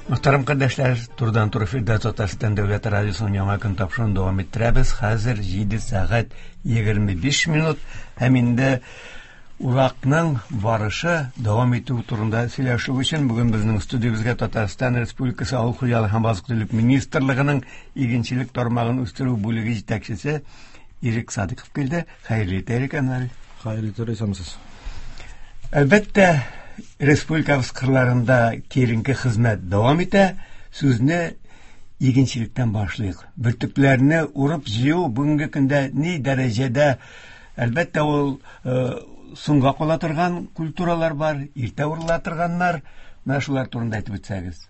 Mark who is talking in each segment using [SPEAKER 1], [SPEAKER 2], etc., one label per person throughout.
[SPEAKER 1] Мөхтәрәм кардәшләр, турыдан-туры эфирда Татарстан дәүләт радиосының яңа көн тапшыруын дәвам иттерәбез. Хәзер 7 сәгать 25 минут һәм инде уракның барышы дәвам итү турында сөйләшү өчен бүген безнең студиябезгә Татарстан Республикасы Авыл хуҗалыгы һәм азык-төлек министрлыгының игенчелек тармагын үстерү бүлеге җитәкчесе Ирек Садыков килде. Хәерле иртә, Ирек Әнвәрович.
[SPEAKER 2] Хәерле иртә, исәнмесез.
[SPEAKER 1] Әлбәттә, республикабыз кырларында киеренке хезмәт дәвам итә. Сүзне игенчелектән башлыйк. Бөртекләрне урып җыю бүгенге көндә ни дәрәҗәдә? Әлбәттә, ул э, соңга кала торган культуралар бар, иртә урыла торганнар. Менә шулар турында әйтеп үтсәгез.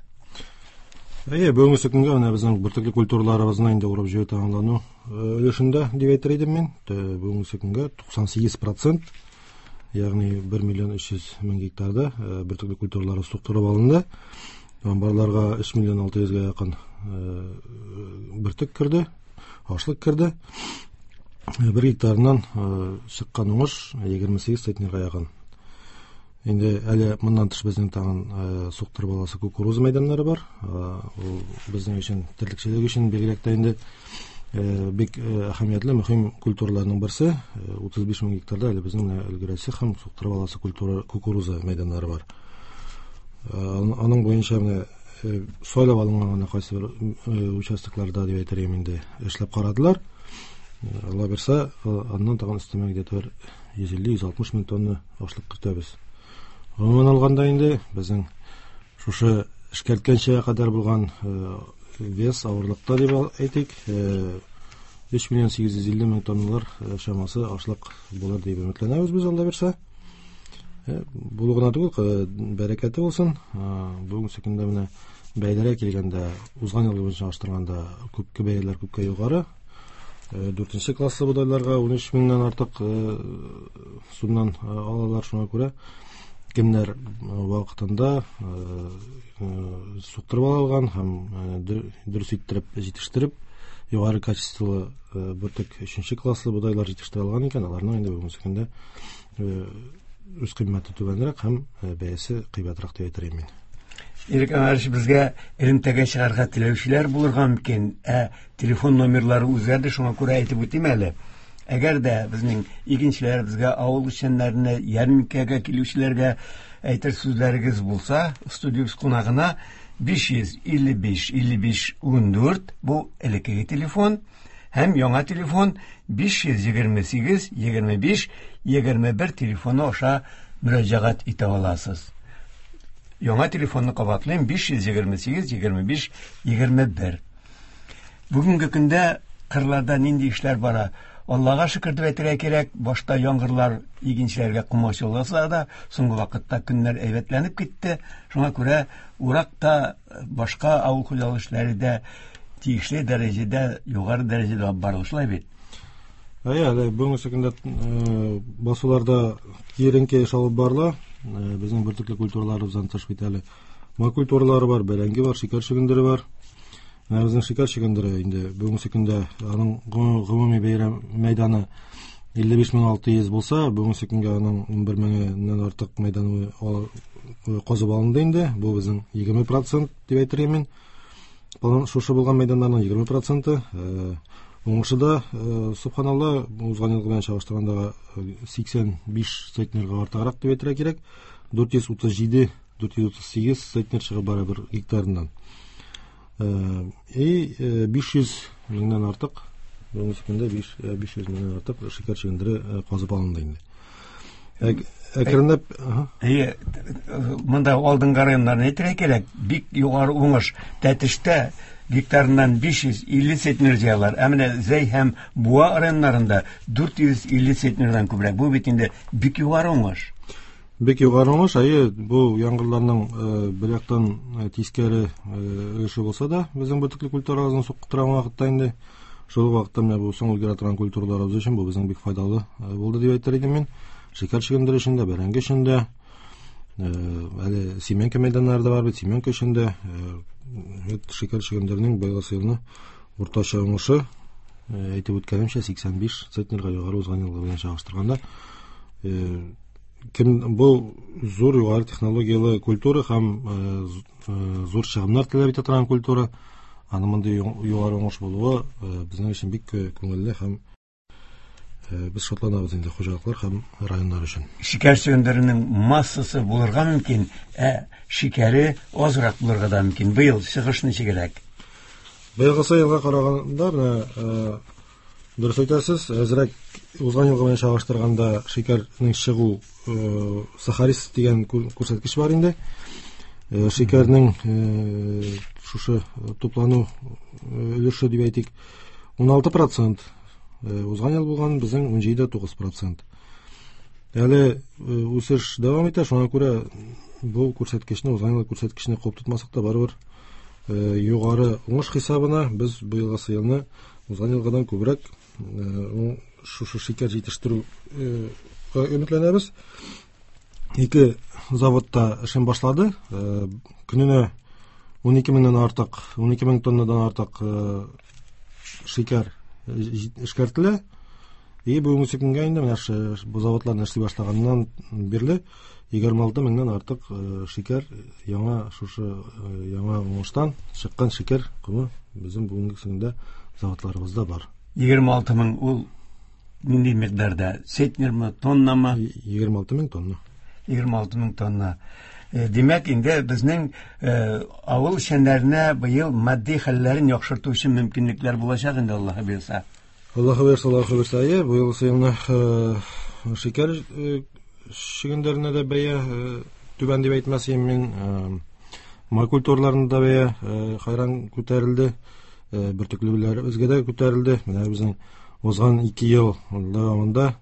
[SPEAKER 2] Әйе, бүгенге көнгә менә безнең бөртекле культураларыбызны инде урып җыю тәмамлану өлешендә дип әйтер идем мин. Бүгенге көнгә 98%, ягъни 1 миллион 300 мең гектарда бөртекле культуралары суктырып алынды. Амбарларга 3 миллион 600-гә якын бөртек керде, ашлык керде. Бер гектарыннан чыккан уңыш 28 центнерга якын. Инде әле моннан тыш безнең тагын суктырып аласы кукуруза мәйданнары бар. Ул безнең өчен терлекчелек өчен бигрәк тә инде бик әһәмиятле, мөһим культураларның берсе. 35 мең гектарда әле безнең менә өлгерәсе һәм суктырып аласы культура кукуруза мәйданнары бар. Аның буенча менә сайлап алынган гына кайсы бер участокларда дип әйтер идем инде эшләп карадылар. Алла бирсә, аннан тагын өстәмә где-то бер 150-160 мең тонна ашлык көтәбез. Гомумән алганда инде безнең шушы эшкәрткәнчә кадәр булган вес авырлыкта дип әйтик, 3 миллион 850 мең тонналар чамасы ашлык булыр дип өметләнәбез без, Алла бирсә. Булу гына түгел, бәрәкәте булсын. Бүгенге көндә менә бәяләргә килгәндә, узган ел белән чагыштырганда күпкә бәяләр күпкә югары. Дүртенче класслы бодайларга 13 меңнән артык сумнан алалар, шуңа күрә кемнәр вакытында суктырып ала алган һәм дөрес иттереп җитештереп, югары качестволы бөртек өченче класслы бодайлар җитештерә алган икән, аларның инде бүгенге көндә үз кыйммәте түбәнрәк һәм бәясе кыйбатрак дип әйтер идем мин.
[SPEAKER 1] Ирек Әнвәрович, безгә элемтәгә чыгарга теләүчеләр булырга мөмкин, ә телефон номерлары үзгәрде, шуңа күрә әйтеп үтим әле. Әгәр дә безнең игенчеләр, безгә авыл эшчәннәренә, ярминкәгә килүчеләргә әйтер сүзләрегез булса, студиябез кунагына 555 55 14, бу элеккеге телефон, һәм яңа телефон 528 25 21 телефоны аша мөрәҗәгать итә аласыз. Яңа телефонны кабатлыйм: 528 25 21. Бүгенге көндә кырларда нинди эшләр бара? Аллага шөкер дип әйтергә кирәк, башта яңгырлар игенчеләргә комачауласа да, соңгы вакытта көннәр әйбәтләнеп китте. Шуңа күрә урак та, башка авыл хуҗалыгы эшләре дә тиешле дәрәҗәдә, югары дәрәҗәдә алып барыла, шулай бит?
[SPEAKER 2] Әйе, әле бүгенге көндә басуларда киеренке эш алып барыла. Безнең бөртекле культураларыбыздан тыш бит әле май культуралары бар, бәрәңге бар, шикәр чөгендере бар. Менә безнең шикәр чөгендере инде бүгенге көндә аның гомуми бәйрәм мәйданы 55 600 булса, бүгенге көндә аның 11 меңеннән артык мәйданы казып алынды инде. Бу безнең 20% дип әйтер идем мин. Шушы булган мәйданнарның 20%. Уңышы да, субханалла, узган елгы белән чагыштырганда 85 центнерга артыграк дип әйтергә кирәк. 437, 438 центнер чыгып бара бер гектарыннан. И 500 меңнән артык, бүгенге көндә 500 меңнән артык шикәр чөгендере казып алынды инде. Әкренләп,
[SPEAKER 1] Әйе, монда алдынгы районнарны әйтергә кирәк, бик югары уңыш. Тәтештә гектарыннан 550 центнер җыялар. Ә менә Зәй һәм Буа районнарында 450 центнердан күбрәк. Бу бит инде бик югары уңыш.
[SPEAKER 2] Бик югары уңыш, әйе, бу яңгырларның бер яктан тискәре өлеше булса да, безнең бөртекле культураларны суктырган вакытта инде шул вакытта менә бу соң өлгерә торган культураларыбыз өчен бу безнең бик файдалы булды дип әйтер идем мин. Шикәр чөгендере өчен дә, бәрәңге өчен дә, әле семенка мәйданнары да бар бит, семенка өчен дә, шикәр чөгендеренең быелгы елны уртача уңышы, әйтеп үткәнемчә, 85 центнерга югары узган елгы белән чагыштырганда. Кем бу зур югары технологияле культура һәм зур чыгымнар таләп итә торган культура. Аның мондый югары уңыш булуы безнең өчен бик күңелле һәм без шатланабыз инде хуҗалыклар һәм районнар өчен.
[SPEAKER 1] Шикәр чөгендеренең массасы булырга мөмкин, ә шикәре азрак булырга да мөмкин. Быел чыгыш ничегрәк?
[SPEAKER 2] Быелгысы елга караганда менә дөрес әйтәсез, әзрәк узган елга белән чагыштырганда шикәрнең чыгу сахарис дигән күрсәткеч бар инде. Шикәрнең шушы туплану өлеше дип әйтик, 16%. Узган ел булган безнең 17,9%. Әле үсеш дәвам итә, шуңа күрә бу күрсәткечне, узган ел күрсәткечне куып тотмасак та барыбер югары уңыш хисабына без быелгысы елны узган елгыдан күбрәк шушы шикәр җитештерүгә өметләнәбез. Ике заводта эшен башлады. Көненә 12 меңнән артык, 12 мең тоннадан артык шикәр эшкәртелә. И бүгенге көнгә инде менә бу заводларны эшли башлаганнан бирле 26 меңнән артык шикәр яңа шушы яңа уңыштан чыккан шикәр комы безнең бүгенге көндә заводларыбызда бар.
[SPEAKER 1] 26 мең ул нинди микъдарда? Центнермы, тоннамы?
[SPEAKER 2] 26 мең тонна.
[SPEAKER 1] 26 мең тонна. Димәк, инде безнең авыл эшчәннәренә быел матди хәлләрен яхшырту өчен мөмкинлекләр булачак инде, Аллаһы боерса.
[SPEAKER 2] Аллаһы боерса, Аллаһы боерса, әйе, быел елны шикәр чөгендеренә дә бәя түбән дип әйтмәс идем мин. Май культураларына да бәя хайран күтәрелде. Бөртеклеләребезгә дә күтәрелде. Менә безнең узган 2 ел дәвамында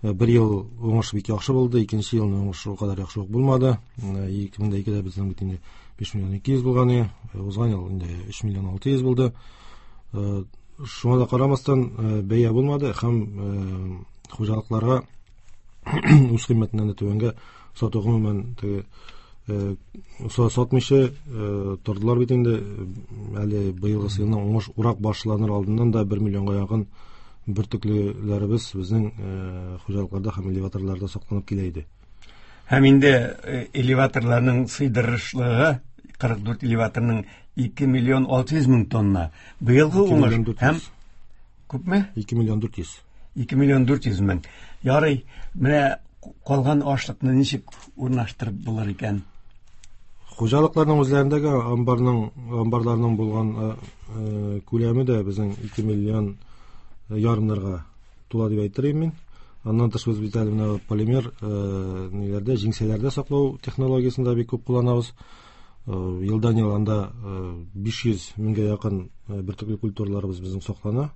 [SPEAKER 2] бер ел уңыш бик яхшы булды, икенче елны уңыш ул кадәр яхшы ук булмады. 2002-дә безнең бит инде 5 миллион 200 булган иде. Узган ел инде 3 миллион 600 булды. Шуңа да карамастан бәя булмады һәм хуҗалыкларга үз кыйммәтеннән дә түбәнгә сату гомумән теге сатмыйча тордылар бит инде. Әле быелгы елның уңыш урак башланыр алдыннан да 1 миллионга якын бөртеклеләребез безнең хуҗалыкларда һәм элеваторларда сакланып килә иде.
[SPEAKER 1] Һәм инде элеваторларның сыйдырышлыгы 44 элеваторның 2 миллион 600 мең тонна. Быелгы уңыш һәм күпме?
[SPEAKER 2] 2 миллион 400.
[SPEAKER 1] 2 миллион 400 мең. Ярый, менә калган ашлыкны ничек урнаштырып булыр икән?
[SPEAKER 2] Хуҗалыкларның үзләрендәге амбарларның булган күләме дә безнең 2 миллион ярымнарга тула дип әйтер идем мин. Аннан тыш без бит әле менә полимер ниләрдә, җиңсәләрдә саклау технологиясен дә бик күп кулланабыз. Елдан ел анда 500 меңгә якын бөртекле культураларыбыз безнең саклана.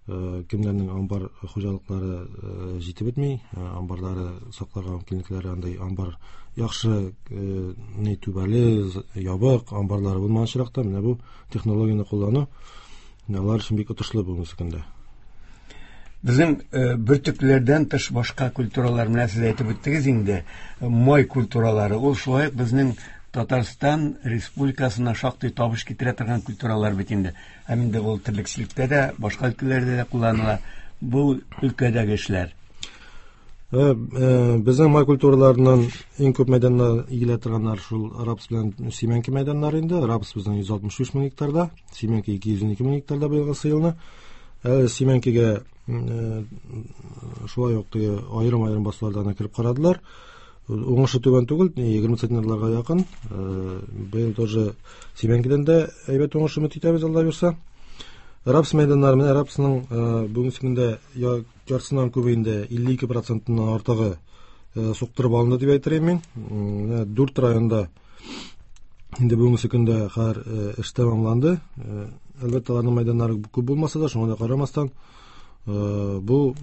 [SPEAKER 2] Кемнәрнең амбар хуҗалыклары җитеп бетми, амбарлары сакларга мөмкинлекләре андай амбар яхшы ни түбәле, ябык амбарлары булмаган очракта менә бу технологияне куллану алар өчен бик отышлы бүгенге көндә.
[SPEAKER 1] Безнең бөртекләрдән тыш башка культуралар менә сез әйтеп үттегез инде, май культуралары, ул шулай ук безнең Татарстан Республикасына шактый табыш китерә торган культуралар бит инде. Һәм инде ул терлекчелектә дә, башка өлкәләрдә дә кулланыла. Бу өлкәдәге эшләр.
[SPEAKER 2] Безнең май культураларыннан иң күп мәйданнар игелә торганнар шул рапс белән симәнке мәйданнары инде. Рапс безнең 163 мең гектарда, симәнке 212 мең гектарда быелгысы елны. Симәнкегә шулай ук теге аерым-аерым басулардан кереп карадылар. Уңышы түбән түгел, 20 центнерларга якын. Быел тоже симәнкедән дә әйбәт уңыш өмет итәбез, Алла бирсә. Рапс мәйданнары, менә рапсның бүгенге көндә яртысыннан күбе инде 52 процентыннан артыгы суктырып алынды дип әйтер идем мин. Менә 4 районда инде бүгенге көндә хәзер эш тәмамланды. Әлбәттә, аларның мәйданнары күп булмаса да, шуңа да карамастан, бу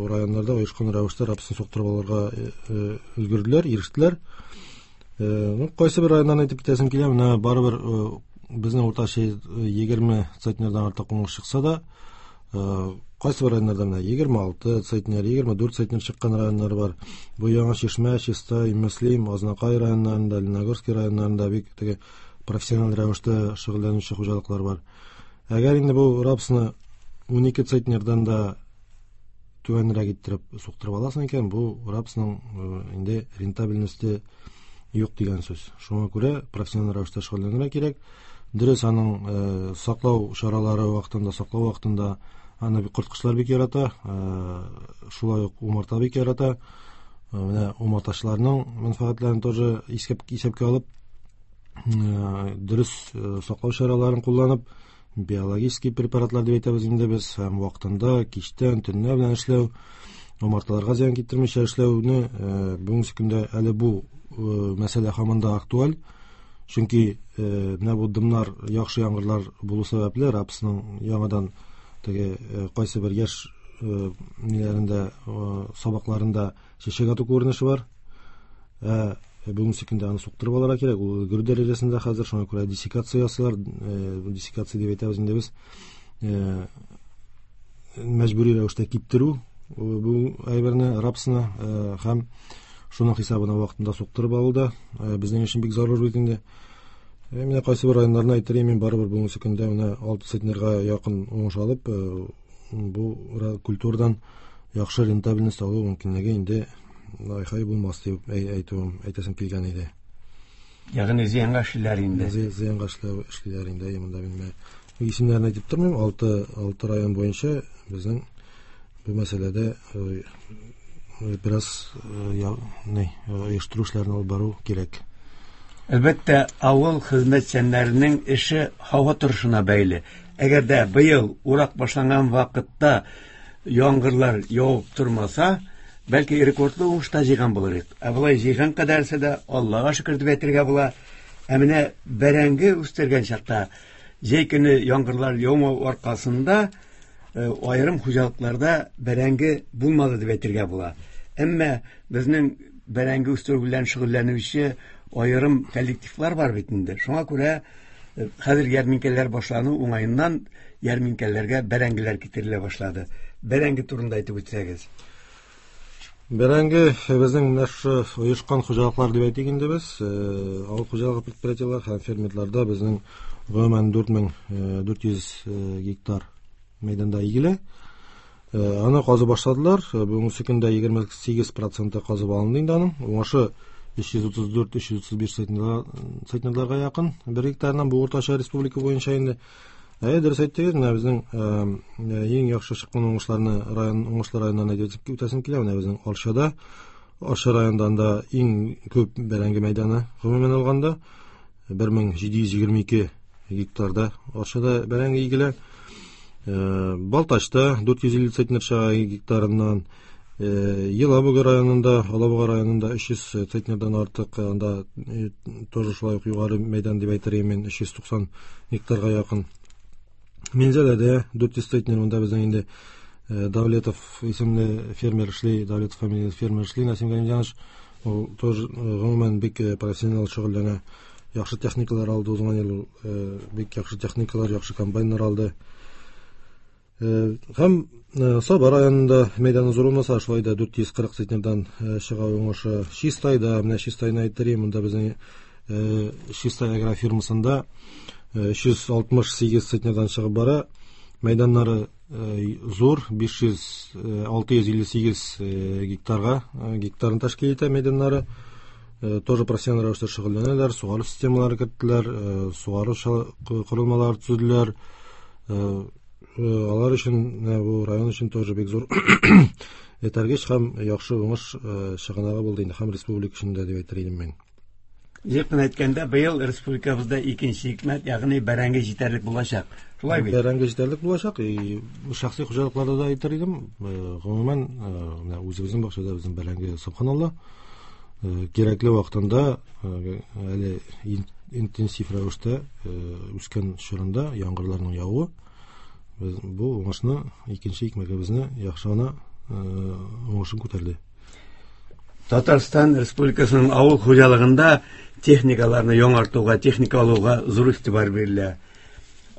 [SPEAKER 2] районнарда оешкан рәвештә рапсын суктырып алырга өлгерделәр, ирештеләр. Кайсы бер районнан әйтеп китәсем килә, менә барыбер безнең уртача 20 центнердан артык уңыш чыкса да, кайсы бер районнарда менә 26 центнер, 24 центнер чыккан районнар бар. Бу Яңа Чишмә, Чистай, Мөслим, Азнакай районнарында, Лениногорский районнарында бик теге профессиональ рәвештә шөгыльләнүче хуҗалыклар бар. Әгәр инде бу рапсны 12 центнердан да түбәнрәк иттереп суктырып аласың икән, бу рапсның инде рентабельности юк дигән сүз. Шуңа күрә профессиональ рәвештә шөгыльләнергә кирәк. Дөрес, аның саклау чаралары вакытында, саклау вакытында аны корткычлар бик ярата, шулай ук умарта бик ярата. Менә умартачыларның мәнфәгатьләрен тоже исәпкә алып, дөрес саклау чараларын кулланып, биологический препаратлар дип әйтәбез инде без, һәм вакытында кичтән, төнлә белән эшләү, умарталарга зыян китермичә эшләүне бүгенге көндә әле бу мәсьәлә һаман да актуаль. Чөнки менә бу дымнар, яхшы яңгырлар булу сәбәпле рапсның яңадан теге кайсы бер яшь ниләрендә, сабакларында чәчәк ату күренеше бар. Бүгенге көндә аны суктырып алырга кирәк. Ул өлгерү дәрәҗәсендә хәзер, шуңа күрә диссекация ясыйлар. Диссекация дип әйтәбез инде без. Мәҗбүри рәвештә киптерү бу әйберне, рапсны, һәм шуның хисабына вакытында суктырып алу да безнең өчен бик зарур бит инде. Менә кайсы бер районнарны әйтер идем, мин барыбер бүгенге көндә менә 6 центнерга якын уңыш алып, бу культурадан яхшы рентабельность алу мөмкинлеге инде айхай булмас дип әйтүем, әйтәсем килгән иде.
[SPEAKER 1] Ягъни зыянга эшлиләр инде.
[SPEAKER 2] Зыянга эшлиләр инде. Монда мин исемнәрен әйтеп тормыйм. 6 район буенча безнең бу мәсьәләдә бераз оештыру эшләрен алып бару кирәк.
[SPEAKER 1] Әлбәттә, авыл хезмәтчәннәренең эше һава торышына бәйле. Әгәр дә быел урак башланган вакытта яңгырлар явып тормаса, бәлки рекордлы уңыш та җыйган булыр идек. Ә болай җыйган кадәрсе дә Аллага шөкер дип әйтергә була. Ә менә бәрәңге үстергән чакта җәй көне яңгырлар яумау аркасында аерым хуҗалыкларда бәрәңге булмады дип әйтергә була. Әмма безнең бәрәңге үстерү белән шөгыльләнүче аерым коллективлар бар бит инде. Шуңа күрә хәзер ярминкәләр башлану уңаеннан ярминкәләргә бәрәңгеләр китерелә башлады. Бәрәңге турында әйтеп үтсәгез.
[SPEAKER 2] Бәрәңге безнең менә шушы оешкан хуҗалыклар дип әйтик инде без, авыл хуҗалыгы предприятиеләр һәм фермерларда безнең гомумән 4400 гектар мәйданда игелә. Аны казып башладылар. Бүгенге көндә 28% казып алынды инде аның. Уңышы 334-335 центнерларга якын бер гектарыннан, бу уртача республика буенча инде. Дөрес әйттегез, менә безнең иң яхшы чыккан уңышларны район, уңышлы районнан әйтеп үтәсем килә. Менә безнең Арчада, Арча районында анда иң күп бәрәңге мәйданы гомумән алганда 1722 гектарда Арчада бәрәңге игелә. Балтачта 450 центнер чыга гектарыннан, Елабуга районында, Алабуга районында 300 центнердан артык, анда тоже шулай ук югары мәйдан дип әйтер идем мин, 390 гектарга якын. Минзәләдә 400 центнер, монда безнең инде Давлетов исемле фермер эшли, Давлетов фамилияле фермер эшли, Насим Галимҗанович, ул тоже гомумән бик профессионал шөгыльләнә. Яхшы техникалар алды узган ел, бик яхшы техникалар, яхшы комбайннар алды. Һәм Саба районында мәйданы зур булмаса, шулай да 440 центнердан чыга уңышы. Чистайда, менә Чистайны әйттерим, монда безнең Чистай агрофирмасында 368 центнердан чыгып бара. Мәйданнары зур, 658 гектарга, гектарын тәшкил итә мәйданнары. Тоже профессиональ рәвештә шөгыльләнәләр, сугару системалары керттеләр, сугару корылмалары төзеделәр. Алар өчен, бу район өчен тоже бик зур этәргеч һәм яхшы уңыш чыганагы булды инде, һәм республика өчен дә дип әйтер идем мин.
[SPEAKER 1] Җыеп кына әйткәндә, быел республикабызда икенче икмәк, ягъни бәрәңге җитәрлек булачак. Шулай бит?
[SPEAKER 2] Бәрәңге җитәрлек булачак. Шәхси хуҗалыкларда да әйтер идем. Гомумән, менә үзебезнең бакчада безнең бәрәңге субханалла. Кирәкле вакытында, әле интенсив рәвештә үскән чорында яңгырларның явуы, без бу уңышны, икенче икмәгебезне яхшы гына уңышын күтәрде.
[SPEAKER 1] Татарстан Республикасының авыл хуҗалыгында техникаларны яңартуга, техника алуга зур игътибар бирелә.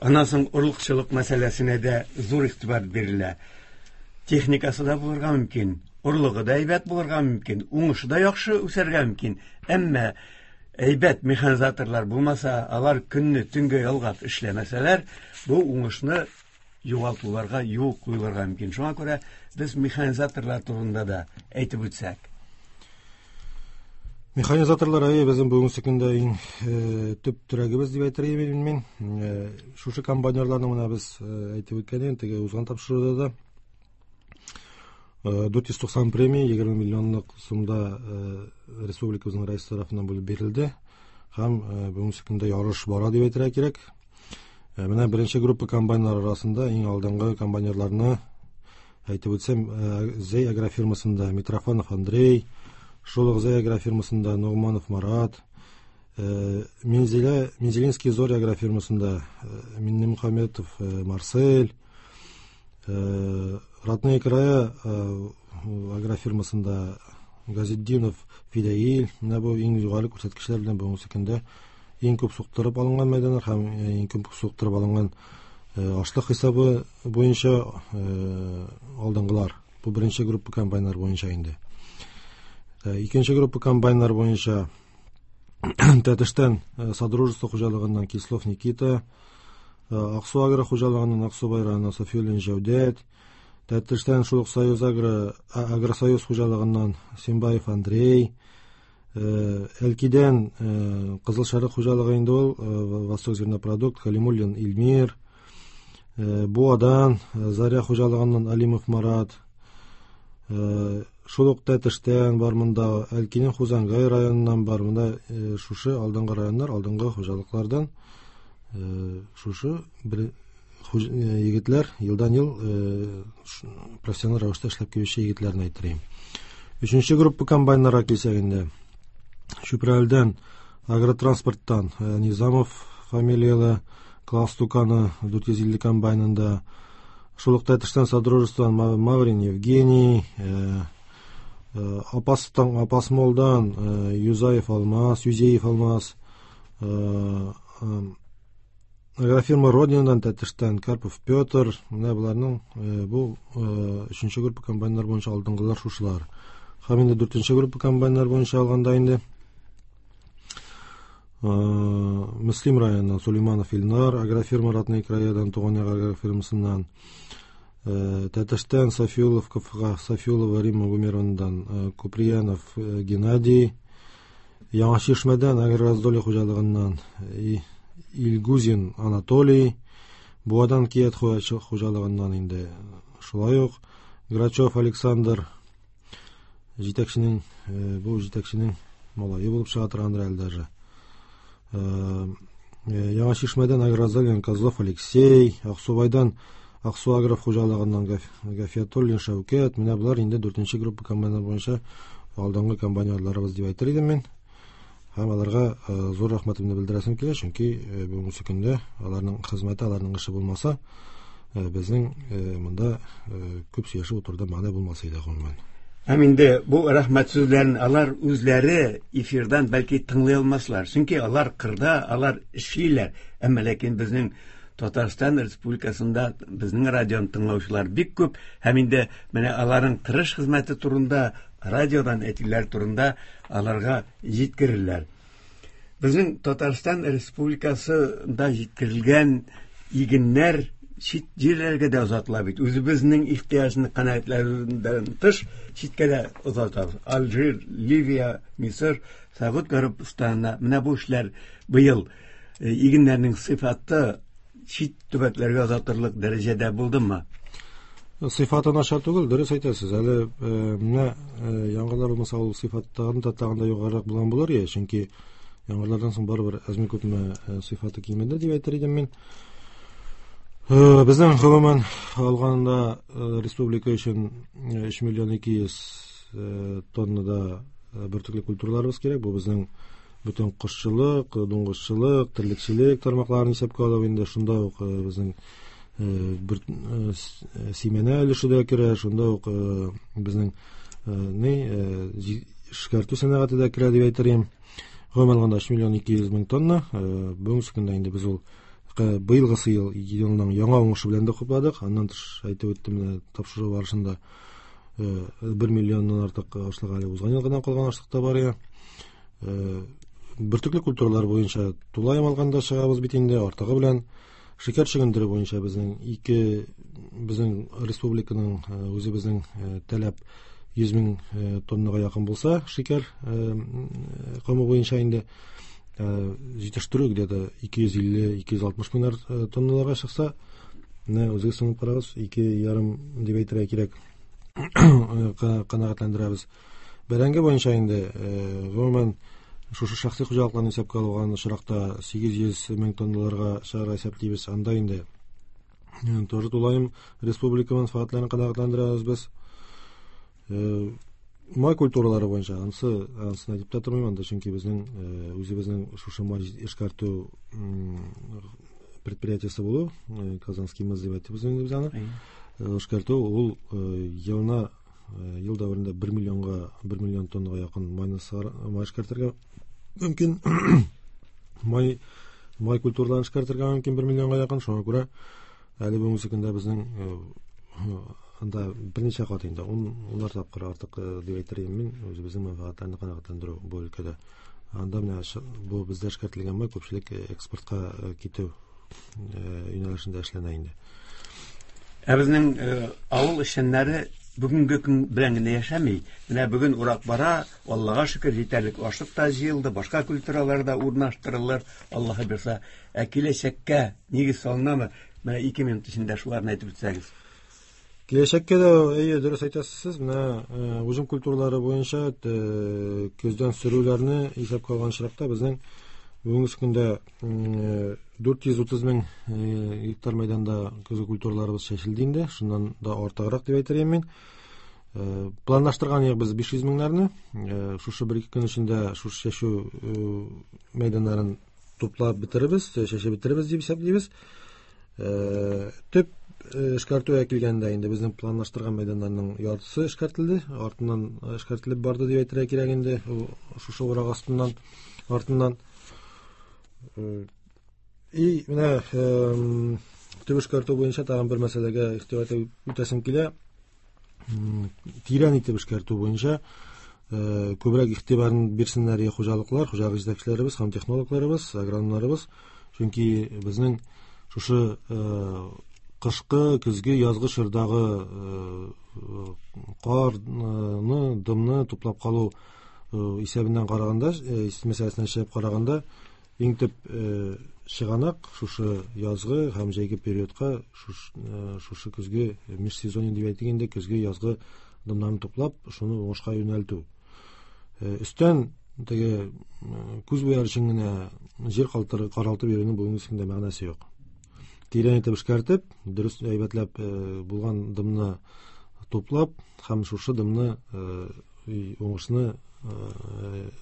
[SPEAKER 1] Аннан соң орлыкчылык мәсьәләсенә дә зур игътибар бирелә. Техникасы да булырга мөмкин, орлыгы да әйбәт булырга мөмкин, уңышы да яхшы үсәргә мөмкин. Әмма әйбәт механизаторлар булмаса, алар көнне төнгә ялгап эшләмәсәләр, бу уңышны югалтуларга юл куелырга мөмкин. Шуңа күрә без механизаторлар турында да әйтеп үтсәк.
[SPEAKER 2] Механизаторлар әйе, безнең бүгенге көндә иң төп терәгебез дип әйтер идем мин. Шушы комбайнерларны менә без әйтеп үткән идек, теге узган тапшыруда да. 490 премия 20 миллионлык сумда республикабызның рәисе тарафыннан бүлеп бирелде. Һәм бүгенге көндә ярыш бара дип әйтергә кирәк. Менә беренче группа комбайннар арасында иң алдынгы комбайнерларны әйтеп үтсәм, Зәй агрофирмасында Митрофанов Андрей, шул ук Зәй агрофирмасында Ногманов Марат, Мензелинский Зоря агрофирмасында Миннемухаметов Марсель, Родные края агрофирмасында Газетдинов Фидәил. Менә бу иң югары күрсәткечләр белән бүгенге көндә иң күп суктырып алынган мәйданнар һәм иң күп суктырып алынган ашлык хисабы буенча алдынгылар. Бу беренче группа комбайннар буенча инде. Икенче группа комбайннар буенча Тәтештән Содружество хуҗалыгыннан Кислов Никита, Аксу агро хуҗалыгыннан Аксубай районы Софиуллин Җәүдәт, Тәтештән шул ук Союз агро, Агросоюз хуҗалыгыннан Симбаев Андрей, Әлкидән Кызыл Шәрык хуҗалыгы инде ул, Восток зернопродукт, Калимуллин Илмир, Буадан Заря хуҗалыгыннан Алимов Марат, шул ук Тәтештән бар монда, Әлкинең Хузангай районыннан бар монда, шушы алдынгы районнар, алдынгы хуҗалыклардан шушы бер егетләр елдан-ел профессионал рәвештә эшләп килүче егетләрне әйттерим. Өченче группа комбайннарга килсәк инде, Чүпрәлдән агротранспорттан Низамов фамилияле Класс Туканы 450 комбайнында, шул ук Тәтештән Содружестводан Маврин Евгений, Апастан, Апасмолдан Юзаев Алмаз, Юзеев Алмаз, агрофирма Родинадан Тәтештән Карпов Петр. Менә боларның бу өченче группа комбайннар буенча алдынгылар шушылар. Һәм инде дүртенче группа комбайннар буенча алганда инде Мөслим районыннан Сулейманов Илнар, агрофирма Родные краядан, Туган як агрофирмасыннан, Тәтештән Софиулов КФХ, Софиулова Римма Гумеровнадан Куприянов Геннадий, Яңа Чишмәдән Агрораздолье хуҗалыгыннан Илгузин Анатолий, Буадан Кият хуҗалыгыннан инде шулай ук Грачев Александр, җитәкченең, бу җитәкченең малае булып чыга торгандыр әле даже. Яңа Чишмәдән Агрораздолье Козлов Алексей, Аксубайдан Аксу агро хуҗалыгыннан Гафиятуллин Шәүкәт. Менә болар инде дүртенче группа комбайннар буенча алдынгы комбайнерларыбыз дип әйтер идем мин. Һәм аларга зур рәхмәтемне белдерәсем килә, чөнки бүгенге көндә аларның хезмәте, аларның эше булмаса, безнең монда күп сөйләшеп утыруда мәгънә булмас иде гомумән.
[SPEAKER 1] Һәм инде бу рәхмәт сүзләрен алар үзләре эфирдан бәлки тыңлый алмаслар. Чөнки алар кырда, алар эшлиләр. Әмма ләкин безнең Татарстан Республикасында безнең радионы тыңлаучылар бик күп. Һәм инде менә аларның тырыш хезмәте турында, радиодан әйтүләр турында аларга җиткерерләр. Безнең Татарстан Республикасында җиткерелгән игеннәр чит җирләргә дә озатыла бит. Үзебезнең ихтыяҗны канәгатьләндерүдән тыш читкә дә озатабыз. Алжир, Ливия, Мисыр, Сәгуд Гарәбстанына. Менә бу эшләр быел игеннәрнең сыйфаты чит төбәкләргә озатырлык дәрәҗәдә булдымы?
[SPEAKER 2] Сыйфаты начар түгел, дөрес әйтәсез. Әле менә яңгырлар булмаса, ул сыйфаттан да тагын да югарырак булган булыр иде, чөнки яңгырлардан соң барыбер әзме күпме сыйфаты кимеде дип әйтер идем мин. Безнең гомумән алганда республика өчен 3 миллион 200 тоннада бөртекле культураларыбыз кирәк. Бу безнең бөтен кошчылык, дуңгызчылык, терлекчелек тармакларын исәпкә алып инде шунда ук безнең бер симәнә өлеше дә керә, шунда ук безнең эшкәртү сәнәгате дә керә дип әйтер идем. Гомумән алганда 3 миллион 200 мең тонна. Бүгенге көндә инде без ул быелгысы елның яңа уңышы белән дә хупладык. Аннан тыш әйтеп үттем, менә тапшыру барышында 1 миллионнан артык ашлык әле узган елгыдан калган ашлык та бар иде. Бөртекле культуралар буенча тулаем алганда чыгабыз бит инде артыгы белән. Шикәр чөгендере буенча безнең ике безнең республиканың үзебезнең таләп 100 мең тоннага якын булса, шикәр комы буенча инде җитештерү где-то 250-260 меңнәр тонналарга чыкса, менә үзегез санап карагыз, 2,5 дип әйтергә кирәк, канәгатьләндерәбез. Бәрәңге буенча инде гомумән шушы шәхси хуҗалыкларны исәпкә алган очракта 800 мең тонналарга чыгарга исәплибез. Анда инде тоже тулаем республика мәнфәгатьләрен канәгатьләндерәбез без. Май культуралары буенча ансын әйтеп тә тормыйм анда, чөнки безнең үзебезнең шушы май эшкәртү предприятиесе булу, Казанский мыс дип әйтәбез инде без аны. Эшкәртү ул елына ел дәверендә 1 миллионга 1 миллион тоннага якын майны май эшкәртергә мөмкин. Май культураларын эшкәртергә мөмкин 1 миллионга якын. Шуңа күрә әле бүгенге көндә безнең анда берничә кат инде унлар тапкыр артык дип әйтер идем мин үзебезнең мәнфәгатьләрне канәгатьләндерү бу өлкәдә. Анда менә бу бездә эшкәртелгән май күпчелек экспортка китү юнәлешендә эшләнә инде.
[SPEAKER 1] Ә безнең авыл эшчәннәре бүгенге көн белән генә яшәми. Менә бүген урак бара, Аллага шөкер, җитәрлек ашлык та җыелды, башка культуралар да урнаштырылыр, Аллаһы бирсә. Ә киләчәккә нигез салынамы? Менә 2 минут эчендә шуларны әйтеп үтсәгез.
[SPEAKER 2] Киләчәккә дә, әйе, дөрес әйтәсез, менә уҗым культуралары буенча көздән сөрүләрне исәпкә алган очракта безнең бүгенге көндә 430 мең гектар мәйданда көзге культураларыбыз чәчелде инде, шуннан да артыграк дип әйтер идем мин. Планлаштырган идек без 500 меңнәрне. Шушы бер-ике көн эчендә шушы чәчү мәйданнарын туплап бетерербез, чәчеп бетерербез дип исәплибез. Төп эшкәртүгә килгәндә инде безнең планлаштырган мәйданнарның яртысы эшкәртелде, артыннан эшкәртелеп барды дип әйтергә кирәк инде, шушы урак астыннан артыннан. И менә төп эшкәртү буенча тагын бер мәсьәләгә игътибар итеп үтәсем килә. Тирән итеп эшкәртү буенча күбрәк игътибарын бирсеннәр хуҗалыклар, хуҗалык җитәкчеләребез һәм технологларыбыз, агрономнарыбыз, чөнки безнең шушы кышкы, көзге, язгы чордагы карны, дымны туплап калу исәбеннән караганда, мәсьәләсеннән чыгып караганда, иң төп чыганак шушы язгы һәм җәйге периодка шушы көзге межсезонье дип әйтик инде, көзге язгы дымнарны туплап, шуны уңышка юнәлтү. Өстән теге күз буяр өчен генә җир каралтып йөрүнең бүгенге көндә мәгънәсе юк. Тирән итеп эшкәртеп, дөрес әйбәтләп булган дымны туплап һәм шушы дымны уңышны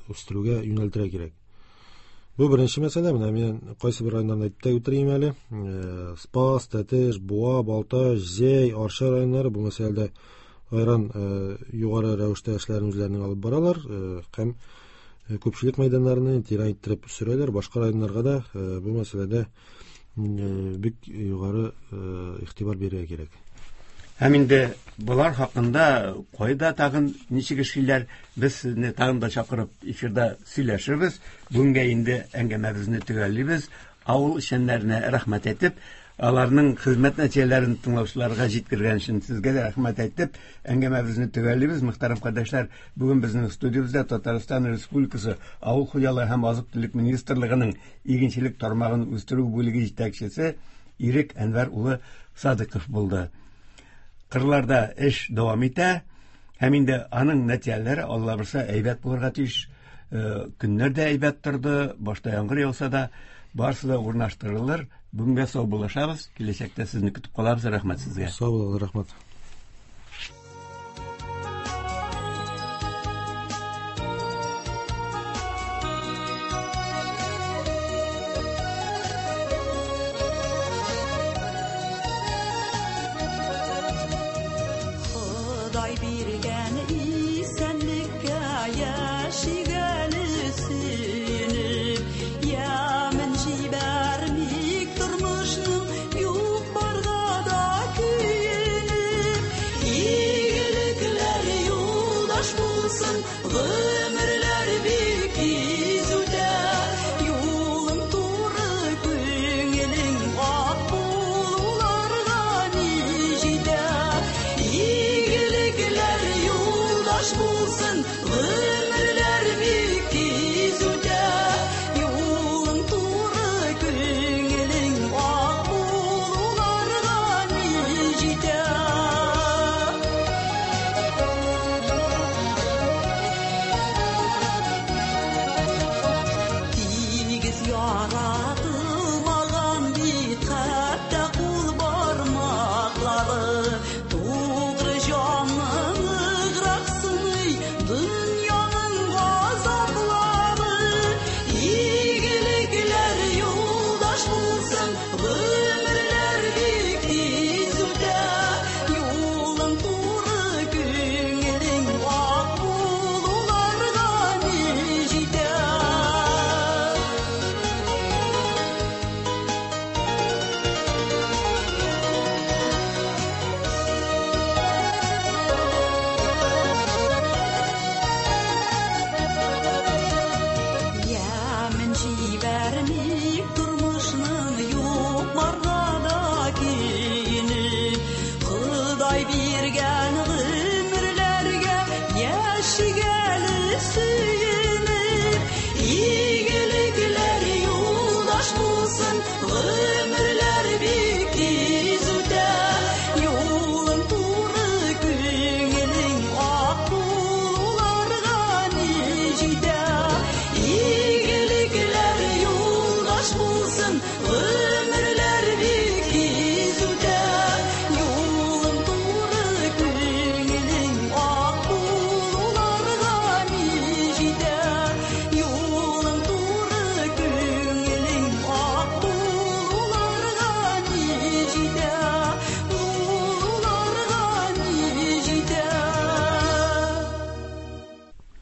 [SPEAKER 2] үстерүгә юнәлтергә кирәк. Бу беренче мәсьәлә. Менә мин кайсы бер районнарны әйтеп тә үтерим әле. Спас, Тәтеш, Буа, Балтач, Зәй, Арча районнары бу мәсьәләдә айран югары рәвештә эшләрен үзләренең алып баралар һәм күпчелек мәйданнарны тирән иттереп сөрәләр. Башка районнарга да бу мәсьәләдә бик югары игътибар бирергә кирәк.
[SPEAKER 1] Һәм инде болар хакында кайда тагын ничек эшлиләр, без сезне тагын да чакырып эфирда сөйләшербез. Бүгенгә инде әңгәмәбезне төгәллибез. Авыл эшчәннәренә рәхмәт әйтеп, аларның хезмәт нәтиҗәләрен тыңлаучыларга җиткергән өчен сезгә дә рәхмәт әйтеп, әңгәмәбезне төгәллибез. Мөхтәрәм кардәшләр, бүген безнең студиябездә Татарстан Республикасы Авыл хуҗалыгы һәм азык-төлек министрлыгының игенчелек тармагын үстерү бүлеге җитәкчесе Ирек Әнвәр улы Садыков булды. Кырларда эш дәвам итә, һәм инде аның нәтиҗәләре Алла бирсә әйбәт булырга тиеш. Көннәр дә әйбәт торды, башта яңгыр яуса да, барысы да урнаштырылыр. Бүгенгә сау булашабыз, киләчәктә сезне көтеп калабыз. Рәхмәт сезгә.
[SPEAKER 2] Сау булыгыз, рәхмәт.